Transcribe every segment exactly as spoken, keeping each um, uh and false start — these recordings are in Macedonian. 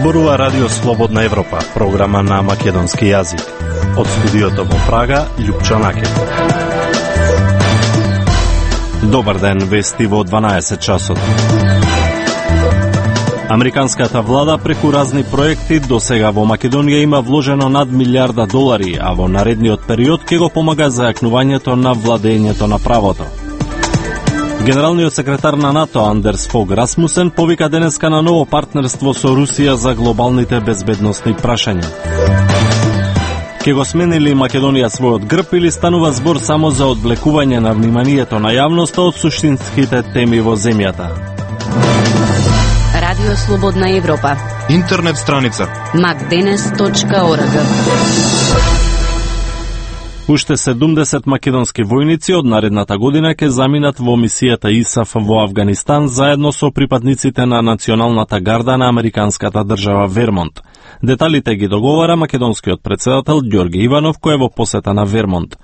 Зборува Радио Слободна Европа, програма на македонски јазик. Од студиото во Прага, Љупчо Накет. Добар ден, вести во дванаесет часот. Американската влада преку разни проекти до сега во Македонија има вложено над милиарда долари, а во наредниот период ќе го помага за јакнувањето на владењето на правото. Генералниот секретар на НАТО Андерс Фог Расмусен повика денеска на ново партнерство со Русија за глобалните безбедносни прашања. Ке го смени ли Македонија својот грб или станува збор само за одвлекување на вниманието на јавноста од суштинските теми во земјата? Радио Слободна Европа. Интернет страница макденес точка орг. Уште седумдесет македонски војници од наредната година ќе заминат во мисијата ИСАФ во Авганистан заедно со припадниците на Националната гарда на американската држава Вермонт. Деталите ги договара македонскиот председател Ѓорги Иванов, кој е во посета на Вермонт.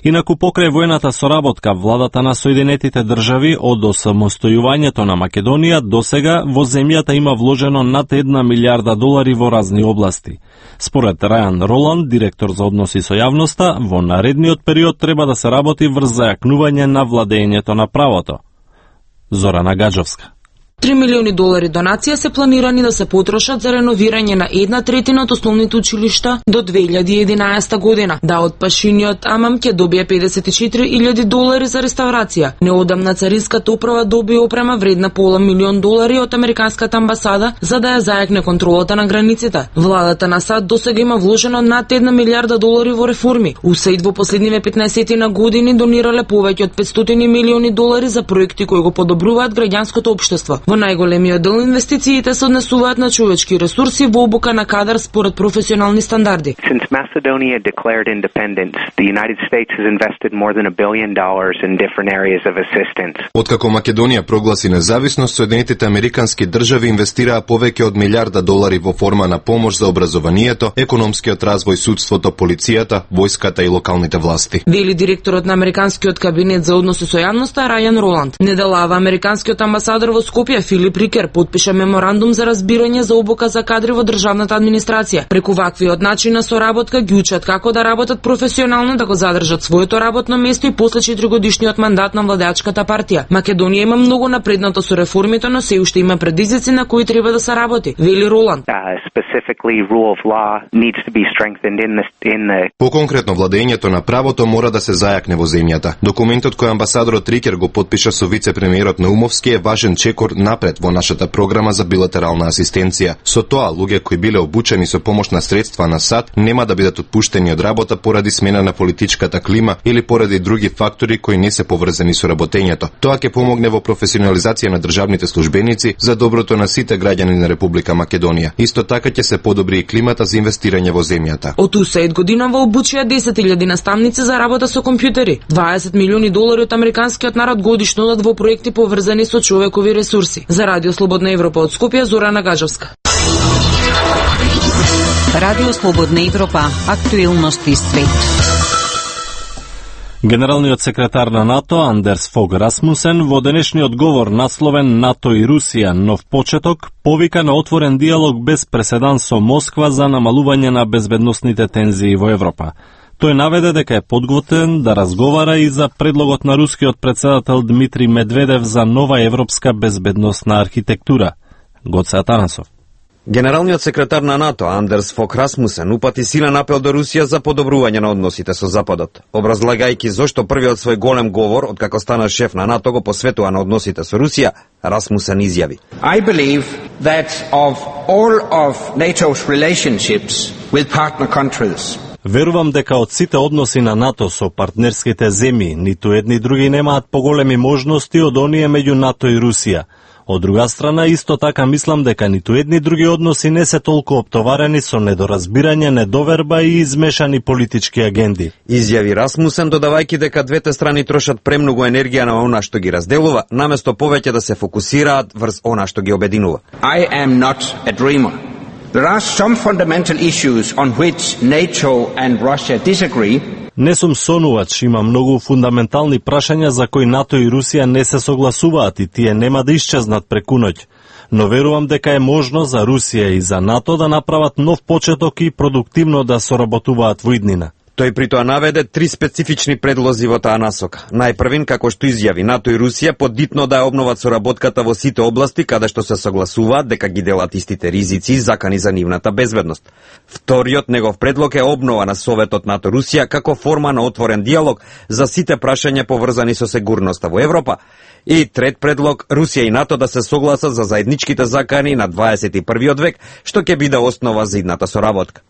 Инаку покрај војната соработка, владата на Соединетите држави од осамостојувањето на Македонија досега во земјата има вложено над една милиарда долари во разни области. Според Рајан Роланд, директор за односи со јавноста, во наредниот период треба да се работи врз зајакнување на владењето на правото. Зорана Гаджовска. три милиони долари донација се планирани да се потрошат за реновирање на една третина од основните училишта до две илјади и единаесета година. Даут Пашиниот Амам ќе добие педесет и четири илјади долари за реставрација. Неодамна царинската управа доби опрема вредна пола милион долари од американската амбасада за да ја зајакне контролата на границите. Владата на САД досега има вложено над една милиарда долари во реформи. УСАИД во последниве петнаесет години донирале повеќе од петстотини милиони долари за проекти кои го подобруваат граѓанското општество. Во најголемиот дел инвестициите се однесуваат на човечки ресурси во обука на кадар според професионални стандарди. Since Macedonia declared independence, the United States has invested more than a billion dollars in different areas of assistance. Откако Македонија прогласи независност, Соединетите американски држави инвестираа повеќе од милиарда долари во форма на помош за образованието, економскиот развој, судството, полицијата, војската и локалните власти. Вели директорот на американскиот кабинет за односи со јавноста Рајан Роланд. Неделава американскиот амбасадор во Скопје Филип Рикер подпиша меморандум за разбирање за обука за кадри во државната администрација. Преку ваквиот начин на соработка ги учат како да работат професионално, да го задржат своето работно место и после четиригодишниот мандат на владеачката партија. Македонија има многу напреднато со реформите, но се уште има предизвици на кои треба да се работи, вели Роланд. Поконкретно, владењето на правото мора да се зајакне во земјата. Документот кој амбасадорот Рикер го подпиша со вице-премиерот Наумовски е важен чекор напред во нашата програма за билатерална асистенција. Со тоа, луѓе кои биле обучени со помош на средства на САД нема да бидат отпуштени од работа поради смена на политичката клима или поради други фактори кои не се поврзани со работењето. Тоа ќе помогне во професионализација на државните службеници за доброто на сите граѓани на Република Македонија. Исто така ќе се подобри и климата за инвестирање во земјата. Од УСАИД годинава обучија десет илјади наставници за работа со компјутери. дваесет милиони долари од американскиот народ годишно одат во проекти поврзани со човекови ресурси. За Радио Слободна Европа од Скопје, Зорана Гаджовска. Радио Слободна Европа, актуелности свет. Генералниот секретар на НАТО Андерс Фог Расмусен во денешниот говор насловен НАТО и Русија нов почеток повика на отворен диалог без преседан со Москва за намалување на безбедносните тензии во Европа. Тој наведе дека е подготвен да разговара и за предлогот на рускиот председател Дмитрий Медведев за нова европска безбедносна архитектура. Гоце Атанасов. Генералниот секретар на НАТО Андерс Фог Расмусен упати силен апел до Русија за подобрување на односите со Западот. Образлагајќи зошто првиот свој голем говор откако стана шеф на НАТО го посветува на односите со Русија, Расмусен изјави: I believe that of all of NATO's relationships with partner countries, Верувам дека од сите односи на НАТО со партнерските земји, ниту едни други немаат поголеми можности од оние меѓу НАТО и Русија. Од друга страна, исто така мислам дека ниту едни други односи не се толку оптоварени со недоразбирање, недоверба и измешани политички агенди. Изјави Расмусен, додавајќи дека двете страни трошат премногу енергија на она што ги разделува, наместо повеќе да се фокусираат врз она што ги обединува. I am not a dreamer. There are some fundamental issues on which NATO and Russia disagree. Не сум сонувач, има многу фундаментални прашања за кои НАТО и Русија не се согласуваат и тие нема да исчезнат преку ноќ. но верувам дека е можно за Русија и за НАТО да направат нов почеток и продуктивно да соработуваат во иднина. Тој при тоа наведе три специфични предлози во таа насока. Најпрвин, како што изјави, НАТО и Русија подитно да ја обноват соработката во сите области каде што се согласуваат дека ги делат истите ризици и закани за нивната безбедност. Вториот негов предлог е обнова на Советот НАТО-Русија како форма на отворен диалог за сите прашања поврзани со сигурноста во Европа. И трет предлог, Русија и НАТО да се согласат за заедничките закани на дваесет и првиот век, што ќе биде основа за идната соработка.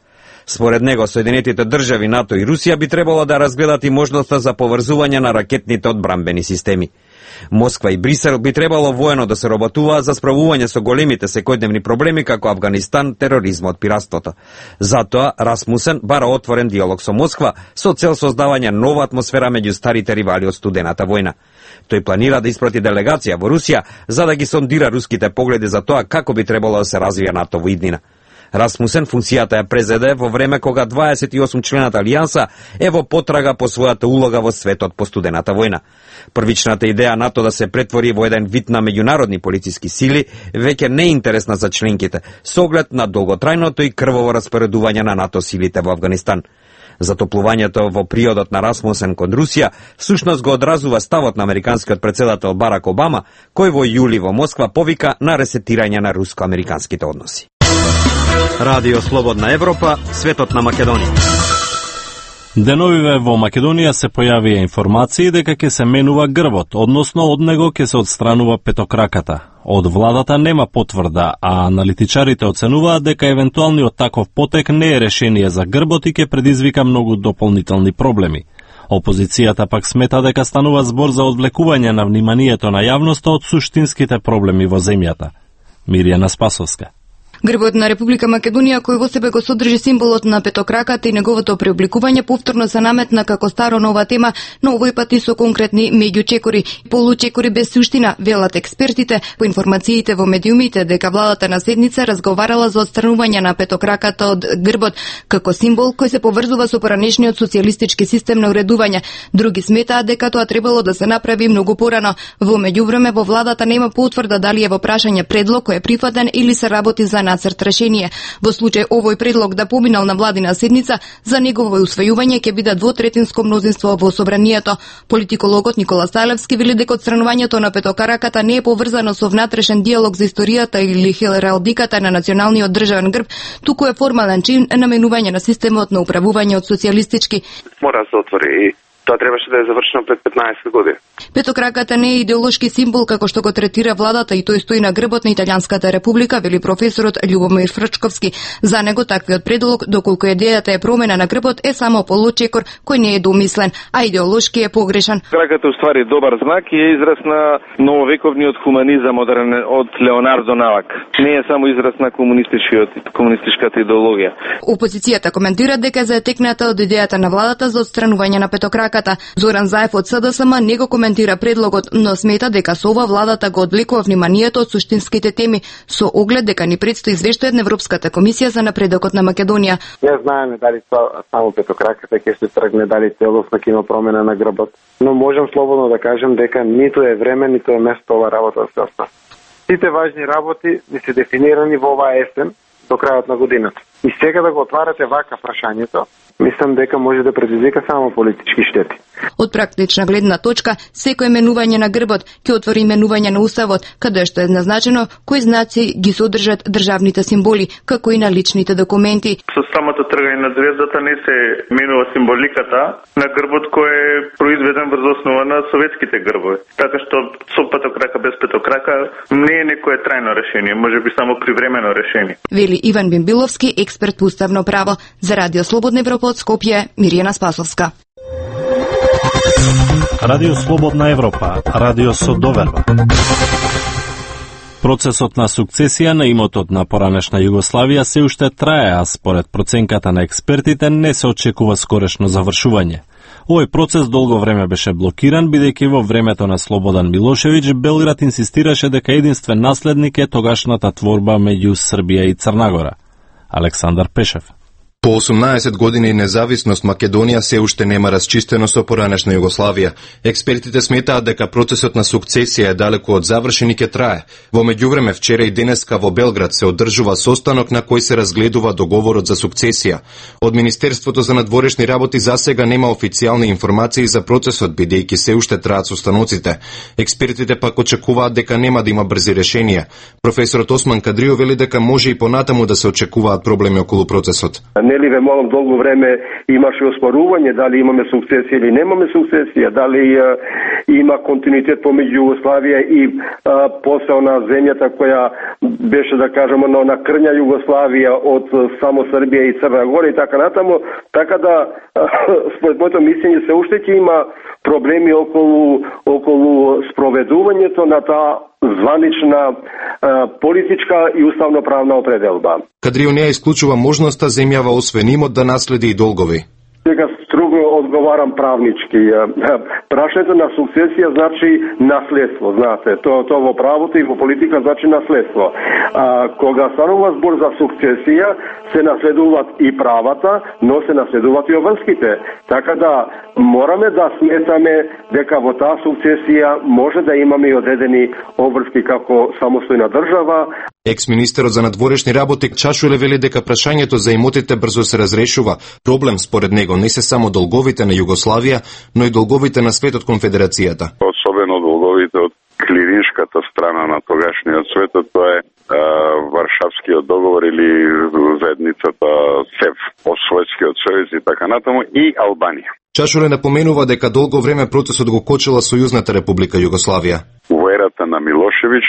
Според него, Соединетите држави, НАТО и Русија би требало да разгледат и можноста за поврзување на ракетните одбранбени системи. Москва и Брисел би требало воено да се работуваат за справување со големите секојдневни проблеми како Авганистан, тероризмот, пиратството. Затоа Расмусен бара отворен диалог со Москва со цел создавање нова атмосфера меѓу старите ривали од студената војна. Тој планира да испрати делегација во Русија за да ги сондира руските погледи за тоа како би требало да се развија НАТО во иднина. Расмусен функцијата ја презеде во време кога дваесет и осум члената алијанса е во потрага по својата улога во светот по студената војна. Првичната идеја НАТО да се претвори во еден вид на меѓународни полициски сили веќе не е интересна за членките, со оглед на долготрајното и крваво распоредување на НАТО силите во Авганистан. Затоплувањето во приодот на Расмусен кон Русија всушност го одразува ставот на американскиот председател Барак Обама, кој во јули во Москва повика на ресетирање на руско-американските односи. Радио Слободна Европа, светот на Македонија. Деновиве во Македонија се појавија информации дека ќе се менува грбот, односно од него ќе се одстранува петокраката. Од владата нема потврда, а аналитичарите оценуваат дека евентуалниот таков потек не е решение за грбот и ќе предизвика многу дополнителни проблеми. Опозицијата пак смета дека станува збор за одвлекување на вниманието на јавноста од суштинските проблеми во земјата. Мирјана Спасовска. Грбот на Република Македонија, кој во себе го содржи символот на петокраката и неговото преобликување, повторно се наметна како старо нова тема, но овој пат и со конкретни меѓучекори, получекори без суштина, велат експертите. По информациите во медиумите дека владата на седница разговарала за отстранување на петокраката од грбот како символ кој се поврзува со поранешниот социјалистички систем на уредување. Други сметаат дека тоа требало да се направи многу порано. Во меѓувреме во владата нема потврда дали е во прашање предлог кој е прифатен или се работи за нацрт решение. Во случај овој предлог да поминал на владина седница, за негово усвојување ќе биде двотретинско мнозинство во собранието. Политикологот Никола Стајлевски вели дека отстранувањето на петокраката не е поврзано со внатрешен диалог за историјата или хералдиката на националниот државен грб, туку е формален чин на менување на системот на управување од социјалистички. Мора да се отвори и тоа требаше да е завршено пред петнаесет години. Петокраката не е идеолошки символ како што го третира владата и тој стои на грбот на Италијанската република, вели професорот Љубомир Фрчковски. За него таквиот предлог, доколку идејата е промена на грбот, е само получекор кој не е домислен, а идеолошки е погрешен. Краката уствари добар знак и е израз на нововековниот хуманизам од, од Леонардо Навак. Не е само израз на комунистичкиот комунистичката идеологија. Опозицијата коментира дека е заетекната од идејата на владата за отстранување на петокраката. Зоран Заев од СДСМ не го коментира предлогот, но смета дека со ова владата го одвлекува вниманието од суштинските теми, со оглед дека ни предстои извештај на Европската комисија за напредокот на Македонија. Не знаеме дали само петокраката ќе се тргне, дали целосно ќе има промена на грбот, но можам слободно да кажем дека ниту е време, ниту е место ова работа да се остане. Сите важни работи не се дефинирани во оваа есен до крајот на годината. И сега да го отварате вака прашањето, мислам дека може да предизвика само политички штети. Од практична гледна точка, секој менување на грбот ќе отвори менување на уставот, каде што е назначено кои знаци ги содржат државните символи, како и на личните документи. Со самото тргање на звездата не се менува символиката на грбот кој е произведен врз основа на советските грбови. Така што со петокрака без петокрака не е некое трајно решение, можеби само привремено решение. Вели Иван Бимбиловски, експерт по уставно право. За Радио Слободна Европа од Скопје, Мирјана Спасовска. Радио Слободна Европа, радио со доверба. Процесот на сукцесија на имотот на поранешна Југославија се уште трае, а според проценката на експертите не се очекува скорешно завршување. Овој процес долго време беше блокиран, бидејќи во времето на Слободан Милошевиќ Белград инсистираше дека единствен наследник е тогашната творба меѓу Србија и Црна Гора. Александар Пешев. По осумнаесет години независност Македонија се уште нема расчистено со поранешна Југославија. Експертите сметаат дека процесот на сукцесија е далеку од завршен и ќе трае. Во меѓувреме вчера и денеска во Белград се одржува состанок на кој се разгледува договорот за сукцесија. Од Министерството за надворешни работи засега нема официјални информации за процесот, бидејќи се уште траат состаноците. Експертите пак очекуваат дека нема да има брзи решенија. Професорот Осман Кадрио вели дека може и понатаму да се очекуваат проблеми околу процесот. Нели ве малом долго време имаше оспорување дали имаме сукцесија или немаме сукцесија, дали а, има континуитет помеѓу Југославија и а, после на земјата која беше, да кажеме, на, на крња Југославија од само Србија и Црна Гора и така натаму, така да а, според моето мислење се уште ќе има проблеми околу околу спроведувањето на таа званична е, политичка и уставно-правна определба. Кадрио не исклучува можноста земјава освен имот да наследи и долгови. Сега строго одговарам правнички. Прашањето на сукцесија значи наследство, знаете. Тоа то во правото и во политика значи наследство. А, кога станува збор за сукцесија, се наследуваат и правата, но се наследуваат и обврските. Така да мораме да сметаме дека во таа сукцесија може да имаме и одредени обврски како самостојна држава. Екс-министерот за надворешни работи Чашуле вели дека прашањето за имотите брзо се разрешува. Проблем според него не се само долговите на Југославија, но и долговите на светот конфедерацијата. Особено долговите од клириншката страна на тогашниот свет, тоа е а, Варшавскиот договор или заедницата СЕВ, Освојскиот сојуз и така натаму, и Албанија. Чашуле напоменува дека долго време процесот го кочела Сојузната република Југославија. Во ерата на Милошевиќ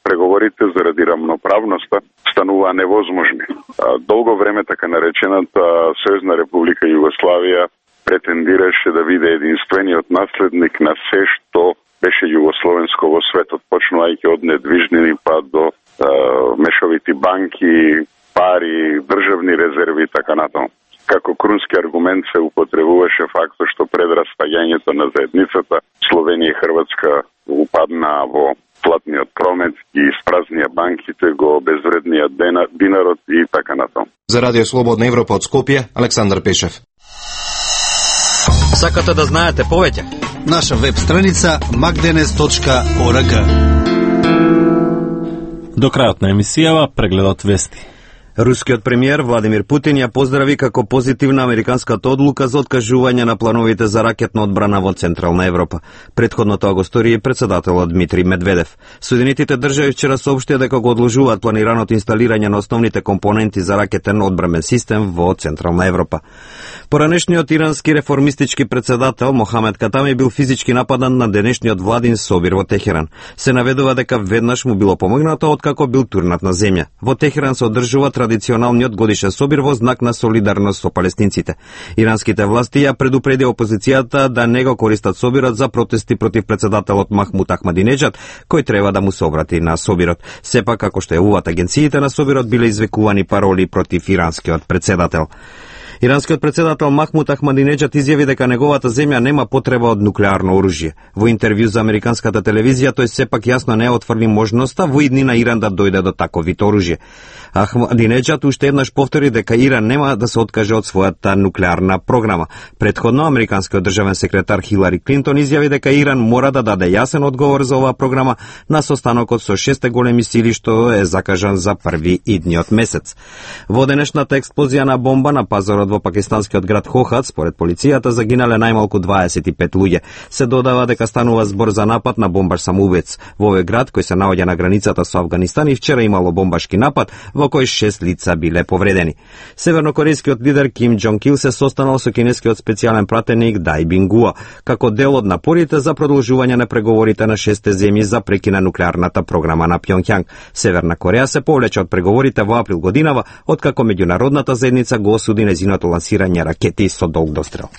преговорите заради рамноправноста стануваа невозможни. Долго време така наречената Сојузна република Југославија претендираше да биде единствениот наследник на се што беше југословенско во светот, почнувајќи од недвижнини па до е, мешовити банки, пари, државни резерви и така натаму. Како крунски аргумент се употребуваше фактот што пред распаѓањето на заедницата Словенија и Хрватска упаднаа во платниот промет и испразнија банките, го обезвредниот динарот и така натаму. За Радио Слободна Европа од Скопје, Александар Пешев. Сакате да знаете повеќе? Наша веб страница макденес точка орг. До крајот на емисијава прегледот вести. Рускиот премиер Владимир Путин ја поздрави како позитивна американската одлука за откажување на плановите за ракетна одбрана во Централна Европа. Предходно тоа го стори и председателот Дмитрий Медведев. Соединетите држави вчера соопштија дека го одложуваат планираното инсталирање на основните компоненти за ракетен одбрамен систем во Централна Европа. Поранешниот ирански реформистички председател Мохамед Катами бил физички нападан на денешниот владин собир во Техеран. Се наведува дека веднаш му било помогнато откако бил турнат на земја. Во Техеран се одржува традиционалниот годишен собир во знак на солидарност со палестинците. Иранските власти ја предупреди опозицијата да не го користат собирот за протести против председателот Махмуд Ахмадинеджад, кој треба да му се обрати на собирот. Сепак, како што јавуваат агенциите на собирот, биле извикувани пароли против иранскиот председател. Иранскиот председател Махмуд Ахмадинеджад изјави дека неговата земја нема потреба од нуклеарно оружје. Во интервју за американската телевизија тој сепак јасно не отфрли можноста во иднина Иран да дојде до таков вид оружје. Ахмадинеджад уште еднаш повтори дека Иран нема да се откаже од својата нуклеарна програма. Предходно американскиот државен секретар Хилари Клинтон изјави дека Иран мора да даде јасен одговор за оваа програма на состанокот со шесте големи сили што е закажан за први идниот месец. Во денешната експлозија на бомба на пазарот во пакистанскиот град Хохат, според полицијата, загинале најмалку дваесет и пет луѓе. Се додава дека станува збор за напад на бомбаш самоубиец. Во овој град, кој се наоѓа на границата со Авганистан, и вчера имало бомбашки напад во кој шест лица биле повредени. Севернокорејскиот лидер Ким Џонг Ил се состанал со кинескиот специјален пратеник Дај Бингуа, како дел од напорите за продолжување на преговорите на шесте земји за прекина нуклеарната програма на Пјонѓанг. Северна Кореја се повлече од преговорите во април годинава, откако меѓународната заедница го осуди нејзиното лансирање ракети со долг дострел.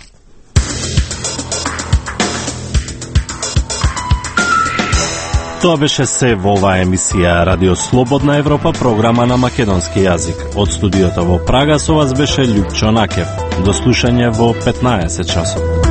Тоа беше се во оваа емисија Радио Слободна Европа, програма на македонски јазик. Од студиото во Прага со вас беше Љупчо Накев. До слушање во петнаесет часот.